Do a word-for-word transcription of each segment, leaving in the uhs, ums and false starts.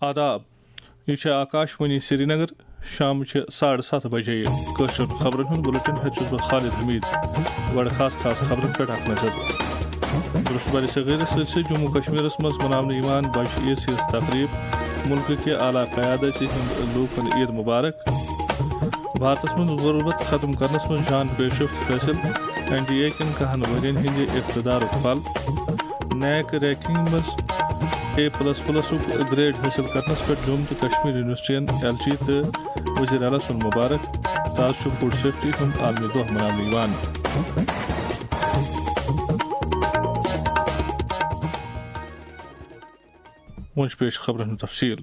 آداب، یہِ چھِ آکاشوانی سرینگر۔ شامچہِ ساڑٕ ستھ بجے کٲشرٮ۪ن خبرن ہُنٛد بُلٹن ہٮ۪تھ چھُس بہٕ خالد حمید۔ گۄڈٕ خاص خاص خبرن پٮ۪ٹھ اکھ نظر۔ درست برِ صغیرس سۭتۍ سۭتۍ جموں کشمیرس منٛز مناونہٕ یِوان بجہِ عیٖز ہٕنٛز تقریب۔ مُلکہٕ کہِ اعلیٰ قیادت ہُنٛد لوٗکن عیٖد مبارک۔ بھارتس منٛز غربت ختم کرنس منٛز جان پیشرفت حٲصِل۔ این ڈی اے کٮ۪ن کہن ؤرین ہٕنٛدِ اقتدارُک پھل۔ نیک رینکنگ منٛز اے پلس پلسُک گریڈ حٲصِل کرنس پٮ۪ٹھ جوم تہٕ کشمیر یونیورسٹین ایل جی تہٕ وزیر اعلیٰ سُنٛد مبارک۔ تاز چھُ فوڈ سیفٹی ہُنٛد عالمی دۄہ مناونہٕ یِوان۔ وۄنۍ چھُ پیش خبرن ہُنٛد تفصیل۔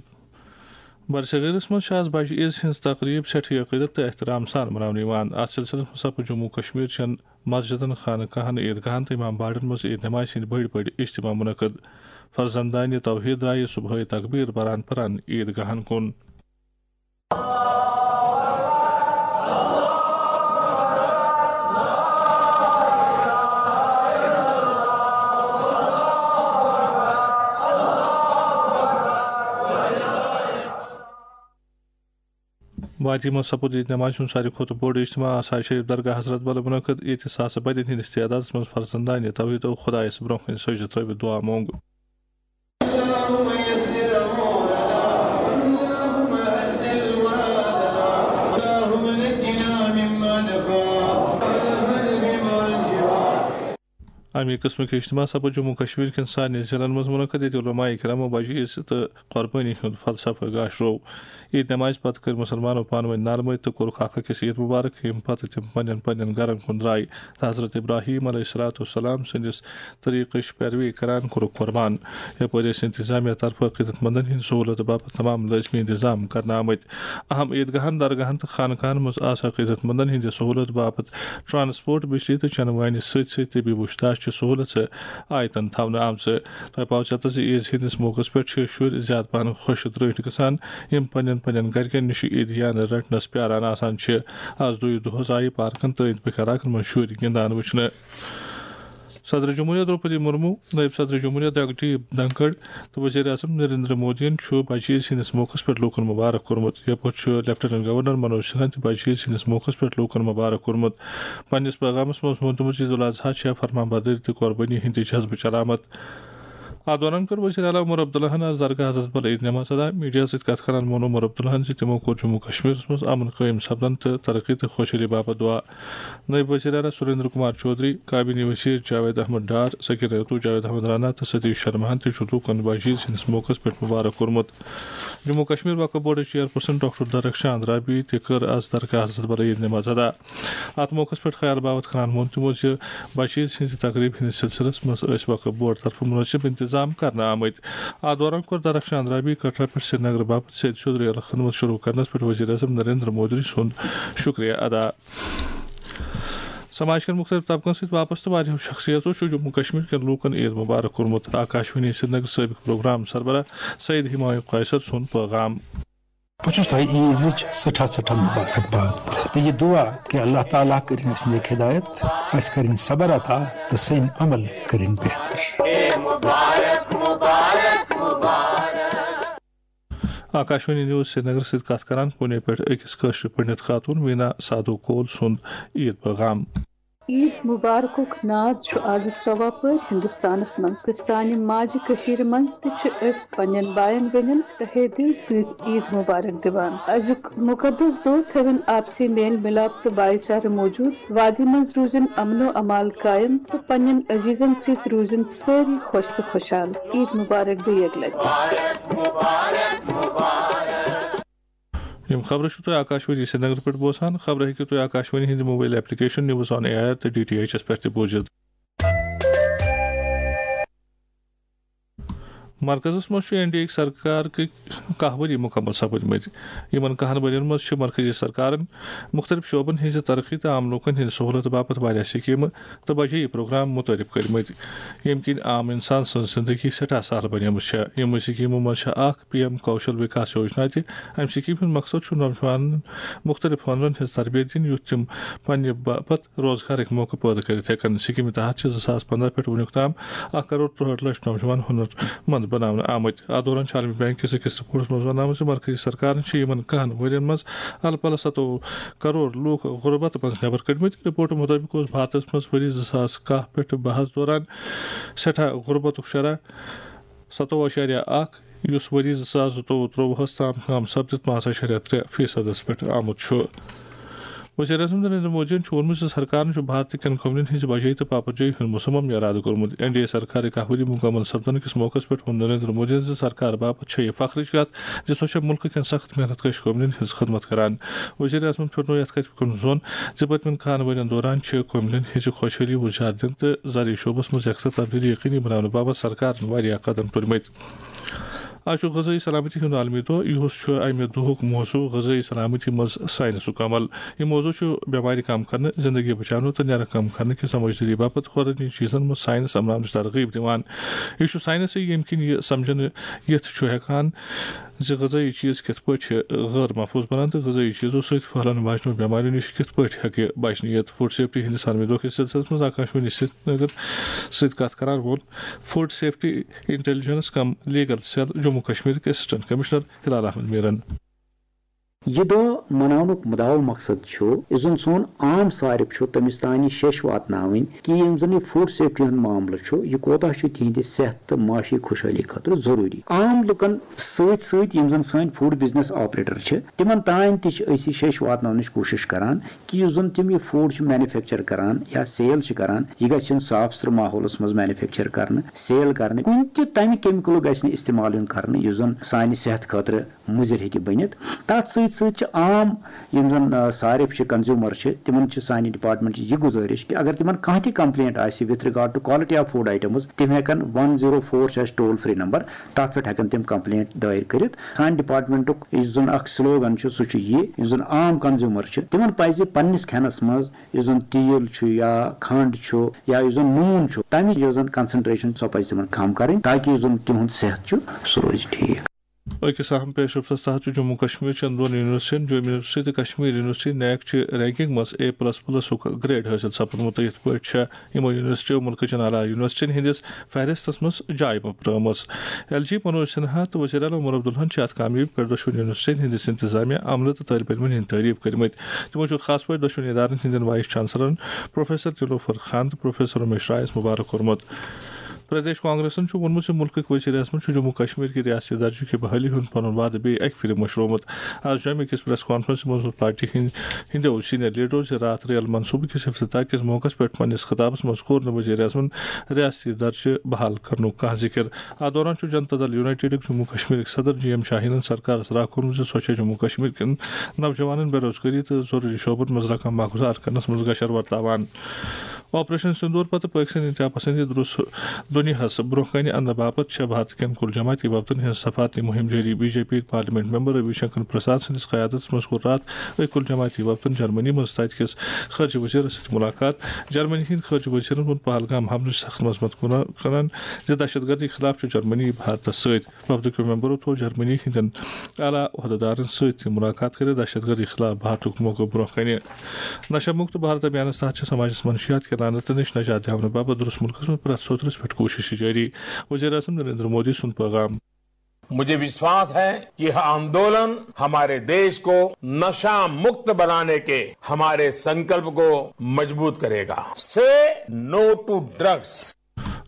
برصغیرس منٛز چھِ آز بجہِ عیٖز ہٕنٛز تقریب سٮ۪ٹھٕے عقیدت تہٕ احترام سان مناونہٕ یِوان۔ اتھ سلسلس منٛز سپُد جموں کشمیر چٮ۪ن مسجدن، خانقاہن، عیدگاہن تہٕ امام باڑن منٛز عید نمازِ ہٕنٛدۍ بٔڑۍ بٔڑۍ اجتماع منعقد۔ فرزندانِ توحید درایہِ صبحٲے تکبیر پران پران عیدگاہن کُن۔ وادی منٛز سپُد عید نمازِ ہُنٛد ساروی کھۄتہٕ بوٚڑ اجتماع آثار شریف درگاہ حضرت بل منعقد، ییٚتہِ ساسہٕ بدٮ۪ن ہٕنٛدِس تعدادس منٛز فرزندانِ توحید و خدایس برونٛہہ کنہِ سجدٕ ترٲوِتھ دعا مونٛگ۔ اللهم يسر أمورنا، اللهم حسن مرادنا، اللهم نجنا مما نخاف، والهم بما جوار۔ اَمہِ قٕسمٕکۍ اجتماع سپُد جموں کشمیر کٮ۪ن سارنٕے ضلعن منٛز منعقد، ییٚتہِ علماء کرامو بجہِ عیٖز تہٕ قۄربٲنی ہُنٛد فلسفہٕ گاش روو۔ عید نمازِ پتہٕ کٔرۍ مُسلمانو پانہٕ ؤنۍ نرمٲے تہٕ کوٚرُکھ اکھ أکِس عید مبارک، ییٚمہِ پتہٕ تِم پننٮ۪ن پننٮ۪ن گرن کُن درٛاے تہٕ حضرت ابراہیم علیہ الصلوۃ والسلام سٕنٛدِس طریٖقٕچ پیروی کران کوٚرُکھ قۄربان۔ یپٲرۍ ٲسۍ انتظامیہ طرفہٕ عقیدت مندن ہٕنٛدِ سہوٗلت باپتھ تمام لٲزمی انتظام کرنہٕ آمٕتۍ۔ اہم عیدگاہن، درگاہن تہٕ خانقاہن منٛز آسہٕ عقیدت مندن ہٕنٛدِ سہوٗلت باپتھ ٹرانسپورٹ، بجلی تہٕ چنہٕ وانہِ سۭتۍ سۭتۍ طبی وُچھتاش چہِ سہوٗلژٕ آیتن تھاونہٕ آمژٕ۔ تۄہہِ پاوٕ ژٮ۪تس زِ عیٖز ہٕنٛدِس موقعس پٮ۪ٹھ چھِ شُرۍ زیادٕ پہن خۄش تہٕ درٛٲٹھۍ گژھان، یِم پننٮ۪ن پننٮ۪ن گرِکٮ۪ن نِش عیدیانہٕ رٹنس پیاران آسان چھِ۔ از دُے دۄہس آیہِ پارکن تہٕ أنٛدۍ پٔکۍ علاقن منٛز شُرۍ گِنٛدان وٕچھنہٕ۔ صدر جمہوریہ درٛوپدی مرمو، نٲیِب صدر جمہوریہ جگدیپ دھنکھڑ تہٕ وزیر اعظم نریندر مودیَن چھُ بجہِ عیٖز ہٕنٛدِس موقعس پٮ۪ٹھ لوٗکن مبارک کوٚرمُت۔ یپٲرۍ چھُ لیفٹیننٹ گورنر منوج سنہاہن تہِ بجہِ عیٖز ہٕنٛدِس موقعس پٮ۪ٹھ لوٗکن مبارک کوٚرمُت۔ پننِس پیغامس منٛز ووٚنمُت زِ عید الاضحی چھےٚ فرمان بردٲری تہٕ قۄربٲنی ہٕنٛدِ جذبٕچ علامت۔ اتھ دوران کٔر وزیر اعلیٰ عمر عبداللہن آز درگاہ حضرت بل عید نماز ادا۔ میڈیا سۭتۍ کتھ کران ووٚن عمر عبداللہن زِ تِمو کوٚر جموں کشمیرس منٛز امن قٲیِم سپدن تہٕ ترقی تہٕ خوشحٲلی باپتھ دعا۔ نٲیِب وزیر اعلیٰ سریندر کمار چودھری، کابینی وزیر جاوید احمد ڈار، سکینہ رتو، جاوید احمد رانا تہٕ ستیش شرماہن تہِ چھُ لوٗکن بجہِ عیٖز ہٕنٛدِس موقعس پٮ۪ٹھ مبارک کوٚرمُت۔ جموں کشمیر وقف بورڈٕچ چیئرپرسن ڈاکٹر درخشان رابی تہِ کٔر از درگاہ حضرت بل عید نماز ادا۔ اتھ موقعس پٮ۪ٹھ خیال باوتھ کران ووٚن تِمو زِ بجہِ عیٖز ہٕنٛزِ تقریبہِ ہٕنٛدِس سلسلس منٛز ٲسۍ وقف بورڈ طرفہٕ مناسب انتظام کرنہٕ آمٕتۍ۔ اتھ دوران کوٚر درخشان رابی کٹرا پٮ۪ٹھ سرینگر باپتھ سیٚدِ سیوٚد ریلہٕ خدمت شروع کرنس پٮ۪ٹھ وزیر اعظم نریندر مودی سُنٛد شکریہ ادا۔ سماج کٮ۪ن مُختٔلِف طبقن سۭتۍ وابستہٕ واریاہو شخصیتو چھُ جموں کشمیر کٮ۪ن لوٗکن عید مبارک کوٚرمُت۔ آکاشوانی سرینگر سٲبِق پروگرام سربراہ سید ہمایوں قیصر سُنٛد پیغام۔ بہٕ چھُس تۄہہِ عیٖزٕچ سٮ۪ٹھاہ سٮ۪ٹھاہ مُبارک باد تہٕ یہِ دُعا کہِ اللہ تعالیٰ کٔرِن اَسہِ نیک ہدایت، اَسہِ کٔرِن صبر عطا تہٕ سٲنۍ عمل کٔرِن بہتر۔ آکاشوانی نیوز سرینگر سۭتۍ کتھ کران پونے پٮ۪ٹھ أکِس کٲشرِ پنڈت خاتون وینا سادو کول سُنٛد عید پیغام۔ عید مبارکُک ناد چھُ آز ژۄوہ پٲرۍ ہندوستانس منٛز تہٕ سانہِ ماجہِ کٔشیٖرِ منٛز تہِ چھِ أسۍ پننٮ۪ن باین بیٚنٮ۪ن تہٕ ہے دِل سۭتۍ عید مبارک دِوان۔ أزیُک مُقدس دۄہ تھٲوِن آپسی میل مِلاپ تہٕ بھایی چارٕ موٗجوٗد، وادی منٛز روٗزِن امن و امان قٲیِم تہٕ پننٮ۪ن عزیزن سۭتۍ روٗزِن سٲری خۄش تہٕ خۄشحال۔ عید مبارک بیٚیہِ اَکہِ لٹہِ۔ یِم خبرٕ چھِو تُہۍ آکاشوانی سرینگر پٮ۪ٹھ بوزان۔ خبرٕ ہیٚکِو تُہۍ آکاشوانی ہٕنٛدِ mobile application news on A R تہٕ ڈی ٹی ایچ ایس پٮ۪ٹھ تہِ بوٗزِتھ۔ مرکزس منٛز چھُ این ڈی اے سرکار کہِ کاہ ؤری مُکمل سپٕدمٕتۍ۔ یِمن کاہن ؤرین منٛز چھِ مرکزی سرکارن مُختٔلِف شعبن ہٕنٛزِ ترقی تہٕ عام لوٗکن ہٕنٛزِ سہوٗلت باپتھ واریاہ سکیٖمہٕ تہٕ بجے پروگرام متعارف کٔرمٕتۍ، ییٚمہِ کِنۍ عام انسان سٕنٛز زندگی سٮ۪ٹھاہ سہل بنیمٕژ چھےٚ۔ یِمو سکیٖمو منٛز چھےٚ اکھ پی ایم کوشل وکاس یوجنا تہِ۔ امہِ سکیٖمہِ ہُنٛد مقصد چھُ نوجوانن مُختٔلِف ہُنرن ہٕنٛز تربیت دِنۍ، یُتھ تِم پننہِ باپتھ روزگارٕکۍ موقعہٕ پٲدٕ کٔرِتھ ہٮ۪کن۔ سکیٖمہِ تحت چھِ زٕ ساس پنٛداہ پٮ۪ٹھ وُنیُک تام اکھ کرور ترٛوہٲٹھ لچھ نوجوان ہُنر مند بناونہٕ آمٕتۍ۔ اتھ دوران چھُ عالمی بینک کِس أکِس رپورٹس منٛز وننہٕ آمُت زِ مرکزی سرکارن چھِ یِمن کہن ؤرین منٛز الہٕ پلہٕ ستووُہ کرور لوٗکھ غربت منٛز نٮ۪بر کٔڑمٕتۍ۔ رپورٹہٕ مُطٲبِق اوس بھارتس منٛز ؤری زٕ ساس کاہ پٮ۪ٹھ بہس دوران سٮ۪ٹھاہ غربتُک شرح ستووُہ اَشاریہ اَکھ، یُس ؤری زٕ ساس زٕتووُہ ترٛۆوُہس تام کم سپدِتھ پانٛژھ اَشاریہ ترٛےٚ فیصدس پٮ۪ٹھ آمُت چھُ۔ وزیر اعظم نریندر مودیَن چھُ ووٚنمُت زِ سرکارن چھُ بھارت کٮ۪ن کمنین ہٕنٛزِ بجٲیی تہٕ پاپرجٲیی ہُنٛد مُصمم ارادٕ کوٚرمُت۔ این ڈی اے سرکارٕکۍ کاہ ؤری مُکمل سپدنہٕ کِس موقعس پٮ۪ٹھ ووٚن نریندر مودیَن زِ سرکار باپتھ چھےٚ یہِ فخرٕچ کتھ زِ سۄ چھےٚ مُلکہٕ کٮ۪ن سخت محنت کش کمنین ہٕنٛز خدمت کران۔ وزیر اعظمن پھِرنوو یتھ کتھِ کُن زوٚن زِ پٔتمٮ۪ن کاہن ؤرین دوران چھِ کمنین ہٕنٛزِ خۄشحٲلی وُزار دِنہٕ تہٕ زرعی شعبس منٛز یکساں تبدیلی یقینی بناونہٕ باپتھ سرکارن واریاہ قدم تُلمٕتۍ۔ آز چھُ غذٲیی سلامتی ہُنٛد عالمی دۄہ۔ یِہُس چھُ امہِ دۄہُک موضوع غذٲیی سلامتی منٛز ساینسُک عمل۔ یہِ موضوع چھُ بٮ۪مارِ کم کرنہٕ، زندگی بچاونہٕ تہٕ نیرٕ کم کرنہٕ کہِ سمجھدٲری باپتھ خوراکی چیزن منٛز ساینس اپناونٕچ ترغیب دِوان۔ یہِ چھُ ساینسٕے، ییٚمہِ کِنۍ یہِ سمجھنہٕ یِتھ چھُ ہٮ۪کان زِ غذٲیی چیز کِتھ پٲٹھۍ چھِ غٲر محفوظ بنان تہٕ غذٲیی چیزو سۭتۍ پھٔہلن واجنیو بٮ۪ماریو نِش کِتھ پٲٹھۍ ہٮ۪کہِ بچنہٕ یِتھ۔ فوڈ سیفٹی ہٕنٛدِس عالمی دۄہ کِس سلسلس منٛز آکاشوانی سرینگر سۭتۍ کتھ کران ووٚن food safety intelligence cum legal cell Jammu کشمیرٕکۍ اسسٹنٹ کمشنر ہلال احمد میرن۔ یہِ دۄہ مناونُک مُدعا مقصد چھُ، یُس زن سون عام صارف چھُ، تٔمِس تام یہِ شیٚش واتناوٕنۍ کہِ یِم زن یہِ فوڈ سیفٹی ہُنٛد معاملہٕ چھُ، یہِ کوتاہ چھُ تِہنٛدِ صحت تہٕ معاشی خۄشحٲلی خٲطرٕ ضروٗری۔ عام لُکن سۭتۍ سۭتۍ یِم زن سٲنۍ فوڈ بزنس آپریٹر چھِ، تِمن تام تہِ چھِ أسۍ یہِ شیٚش واتناونٕچ کوٗشش کران کہِ یُس زن تِم یہِ فوڈ چھِ مینوفیکچر کران یا سیل چھِ کران، یہِ گژھِ یُن صاف سُتھرٕ ماحولس منٛز مینوفیکچر کرنہٕ، سیل کرنہٕ۔ کُنہِ تہِ تمہِ کیمیکلُک گژھِ نہٕ استعمال یُن کرنہٕ یُس زن سانہِ صحت خٲطرٕ مُضِر ہیٚکہِ بٔنِتھ۔ تَتھ سۭتۍ سۭتۍ چھِ عام یِم زَن، آ، صارف چھِ، کنزیوٗمر چھِ، تِمن چھِ سانہِ ڈپارٹمنٹٕچ یہِ گُزٲرِش کہِ اگر تِمن کانٛہہ تہِ complaint آسہِ with regard to quality of food items، تِم ہٮ۪کن ون زیٖرو فور چھُ اَسہِ ٹول فری نمبر، تَتھ پٮ۪ٹھ ہٮ۪کن تِم complaint دٲیر کٔرِتھ۔ سانہِ ڈپارٹمنٹُک یُس زَن اکھ slogan چھُ، سُہ چھُ یہِ، یُس زَن عام کنزیوٗمر چھِ، تِمن پَزِ پننِس کھٮ۪نس منٛز یُس زَن تیٖل چھُ یا کھنٛڈ چھُ یا یُس زَن نوٗن چھُ، تَمِچ یۄس زَن concentration سۄ پَزِ تِمن کم کرٕنۍ، تاکہِ یُس زَن تِہُنٛد صحت چھُ، سُہ روزِ ٹھیٖک۔ أکِس اہم پیش رفتس تحت چھُ جموں کشمیر چٮ۪ن دۄن یونیورسٹین، جوم یونیورسٹی تہٕ کشمیر یونیورسٹی، نیک چہِ رینکنگ منٛز اے پلس پلسُک گریڈ حٲصِل سپُدمُت تہٕ یِتھ پٲٹھۍ چھےٚ یِمو یونیورسٹیو مُلکہٕ چٮ۪ن اعلیٰ یونیورسٹین ہٕنٛدِس فہرستس منٛز جاے پرٛٲومٕژ۔ ایل جی منوج سنہا تہٕ وزیر اعلیٰ عمر عبداللہن چھِ اتھ کامیٲبی پٮ۪ٹھ دۄشوٕنی یونیورسٹینن ہٕنٛدِس انتظامیہ، عملہٕ تہٕ طٲلب علمن ہٕنٛدۍ تعریف کٔرمٕتۍ۔ تِمو چھُ خاص پٲٹھۍ دۄشوٕنی ادارن ہٕنٛدٮ۪ن وائس چانسلرن پروفیسر نیلوفر خان تہٕ پروفیسر امیش رائس مبارک کوٚرمُت۔ پردیش کانگریسن چھُ ووٚنمُت زِ مُلکٕکۍ وزیر اعظمن چھُ جموں کشمیر کہِ ریاستی درجہٕ کہِ بحالی ہُنٛد پنُن وعدٕ بیٚیہِ اکہِ پھِرِ مٔشرومُت۔ از جوٚمہِ کِس پریس کانفرنسہِ منٛز ووٚن پارٹی ہٕنٛدۍ، ہٕنٛدیو سینئر لیڈرو زِ راتھ ریل منصوٗبہٕ کِس افتتاح کِس موقعس پٮ۪ٹھ پننِس خطابس منٛز کوٚر نہٕ وزیر اعظمن ریاستی درجہٕ بحال کرنُک کانٛہہ ذِکر۔ اتھ دوران چھُ جنتا دل یونائیٹڈٕکۍ جموں کشمیرٕکۍ صدر جی ایم شاہینن سرکارس راہ کوٚرمُت زِ سۄ چھےٚ جموں کشمیر کٮ۪ن نوجوانن بے روزگٲری تہٕ ضروٗری شعبن منٛز رقم ماہ گُزار کرنس منٛز گشر ورتاوان۔ آپریشن سندور پتہٕ پٲکستٲنۍ انتہا پسندی درس دُنیاہس برونٛہہ کنہِ اننہٕ باپتھ چھےٚ بھارت کٮ۪ن کُل جماعتی وفدن ہٕنٛز سفارتی مُہِم جٲری۔ B J P parliament member Ravi Shankar Prasad سٕنٛدِس قیادتس منٛز کوٚر راتھ أکۍ کُل جماعتی وفدن جرمنی منٛز تتہِ کِس خارجہ وزیرس سۭتۍ ملاقات۔ جرمنی ہٕنٛدۍ خارجہ وزیرن ووٚن پہلگام حملٕچ سخت مذمت کران زِ دہشت گردی خلاف چھُ جرمنی بھارتس سۭتۍ۔ وفدٕکیو ممبرو تھوٚو جرمنی ہٕنٛدٮ۪ن اعلیٰ عہدٕدارن سۭتۍ تہِ ملاقات کٔرِتھ دہشت گردی خلاف بھارتُک موقعہٕ برونٛہہ کنہِ۔ نشہ مکت بھارت ابھیانس تحت چھِ سماجس منشیات کہِ لعنتہٕ نِش نجات دِیاونہٕ باپتھ درست مُلکس منٛز پرٛٮ۪تھ سوٚترس پٮ۪ٹھ کوٗشش جٲری۔ وزیر اعظم نریندر مودی سُنٛد پیغام۔ مجھے وشواس ہے کہ یہ آندولن ہمارے دیش کو نشہ مکت بنانے کے ہمارے संकल्प को मजबूत करेगा। Say no to drugs.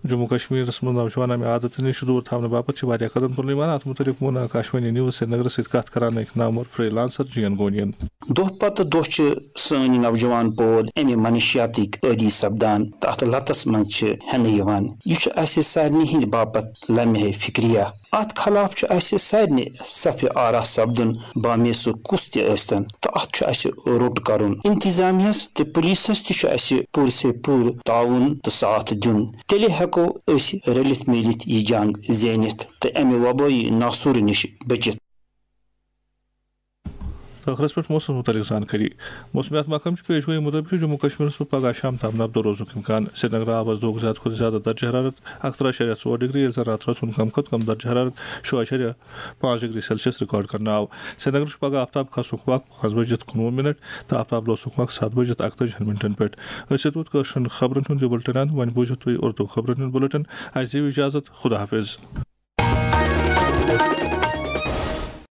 Jammu کشمیرس منٛز نوجوان امہِ عادتہٕ نِش دوٗر تھاونہٕ باپتھ چھِ واریاہ قدم تُلنہٕ یِوان۔ اتھ مُتعلق ووٚن آکاشوانی نیوز سرینگرس سۭتۍ کتھ کران أکۍ نامور فری لانسر جی این گونین۔ دۄہ پتہٕ دۄہ چھِ سٲنۍ نوجوان پوٗد امہِ منشیاتٕکۍ عٲدی سپدان تہٕ اتھ لتس منٛز چھِ ہٮ۪نہٕ یِوان۔ یہِ چھُ اسہِ سارنٕے ہٕنٛدِ باپتھ لمحہ فکریہ۔ اتھ خلاف چھُ اسہِ سارنٕے صفِ آرا سپدُن، بامیسُک کُس تہِ ٲسۍتن، تہٕ اتھ چھُ اسہِ روٚٹ کرُن۔ انتظامیہس تہٕ پُلیٖسس تہِ چھُ اسہِ پوٗرٕ سے پوٗرٕ تعاوُن تہٕ ساتھ دیُن۔ تیٚلہِ ہٮ۪کو أسۍ رٔلِتھ میٖلِتھ یہِ جنگ زیٖنِتھ تہٕ امہِ وبٲیی ناسوٗرٕ نِش بٔچِتھ۔ ٲخرس پٮ۪ٹھ موسمس مُتعلق زانکٲری۔ موسمیات محکمہٕ چہِ پیش گویی مُطٲبِق چھُ جموں کشمیرس منٛز پگہہ شام تام نبدو روزنُک امکان۔ سرینگر آو از دۄہُک زیادٕ کھۄتہٕ زیادٕ درجہ حرارت اکہٕ ترٕہ اَشاریہ ژور ڈگری، ییٚلہِ زن راتہٕ رٲژ ہُنٛد کم کھۄتہٕ کم درجہ حرارت شُراہ اَشاریہ پانٛژھ ڈگری سیلسیس ریکارڈ کرنہٕ آو۔ سرینگر چھُ پگہہ آفتاب کھسنُک وق پانٛژھ بجِتھ کُنوُہ منٹ تہٕ آفتاب لوسنُک وق ستھ بجِتھ اکتٲجِہن منٹن پٮ۪ٹھ۔ أسۍ ووت کٲشرٮ۪ن خبرن ہُنٛد یہِ بُلٹن اند۔ وۄنۍ بوٗزِو تُہۍ اردو خبرن ہُنٛد بُلٹن۔ اسہِ دِیِو اجازت۔ خدا حافظ۔